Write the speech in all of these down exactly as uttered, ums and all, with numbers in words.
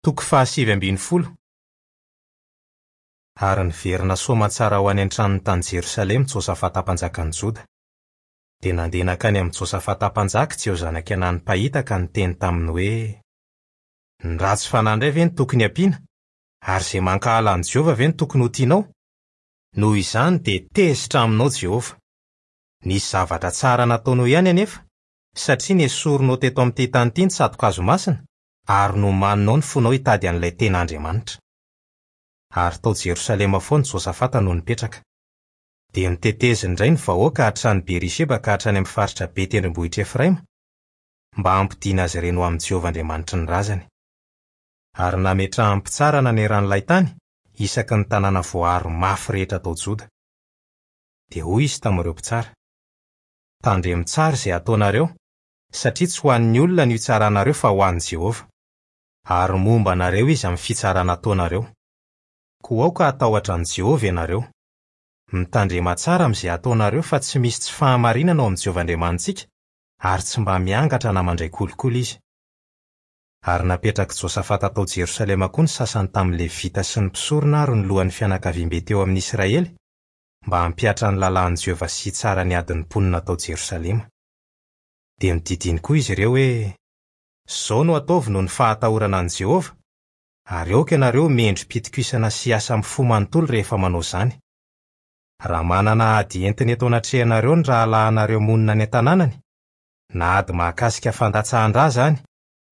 Toko fahasivy ambin'ny folo. Ary niverina soamantsara ho any an-tranony tany Jerosalema Josafata mpanjakan'i Joda. Dia nandeha nankany amin'i Josafata mpanjaka Jeho zanak'i Anany mpahita ka niteny taminy hoe: Ny ratsy fanahy indray ve no tokony hampiana? Ary izay mankahala an'i Jehovah ve no tokony ho tianao? Noho izany dia tezitra aminao Jehovah. Nisy zavatra tsara nataonao ihany anefa, satria nesorinao teto amin'ity tany ity ny tsato-kazo masina, ary nomaninao ny fonao hitady an'ilay tena Andriamanitra. Ary tao Jerosalema foana Josafata no nipetraka. Dia noteteziny indray ny vahoaka hatrany Berisheba ka hatrany amin'ny faritra be tendrombohitra Efraima, mba hampodiana azy ireny ho amin'i Jehovah Andriamanitry ny razany. Ary nametrahany mpitsara naneran'ilay tany, isaky ny tanàna voaaro mafy rehetra tao Joda. Dia hoy izy tamin'ireo mpitsara: Tandremo tsara izay ataonareo, satria tsy ho an'ny olona no hitsaranareo fa ho an'i Jehovah. Ary momba anareo izy amin'ny fitsarana ataonareo. Koa aoka hatahotra an'i Jehovah ianareo. Mitandrema tsara amin'izay ataonareo fa tsy misy tsy fahamarinana ao amin'i Jehovah Andriamanitsika, ary tsy mba miangatra na mandray kolikoly izy. Ary napetrak'i Josafata tao Jerosalema koa ny sasany tamin'ny Levita sy ny mpisorona ary ny lohan'ny fianakaviambe teo amin'ny Israely, mba hampihatra ny lalàn'i Jehovah sy hitsara ny adin'ny mponina tao Jerosalema. Dia nodidiny koa izy ireo hoe: Izao no ataovy noho ny fahatahorana an'i Jehovah, ary aoka ianareo mendri-pitokisana sy hiasa amin'ny fo manontolo rehefa manao izany. Raha manana ady entina eto anatrehanareo ny rahalahinareo monina any an-tanànany, na ady mahakasika fandatsahan-drà izany,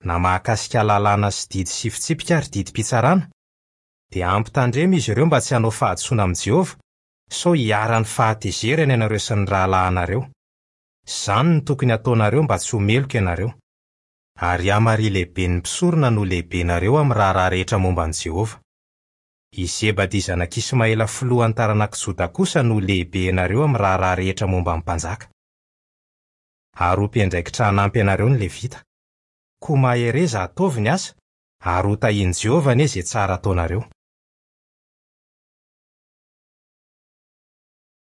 na mahakasika lalàna sy didy sy fitsipika ary didim-pitsarana, dia ampitandremo izy ireo mba tsy hanao fahadisoana amin'i Jehovah, sao hiharan'ny fahatezerana ianareo sy ny rahalahinareo. Izany no tokony hataonareo mba tsy ho meloka ianareo. Ary Amaria lehiben'ny mpisorona no lehibenareo amin'ny raharaha rehetra momba an'i Jehovah. I Zebadia zanak'i Ismaela filohan'ny taranak'i Joda kosa no lehibenareo amin'ny raharaha rehetra momba ny mpanjaka. Ary ho mpiandraikitra hanampy anareo ny Levita. Koa mahereza ataovy ny asa, ary ho tahian'i Jehovah anie izay tsara ataonareo.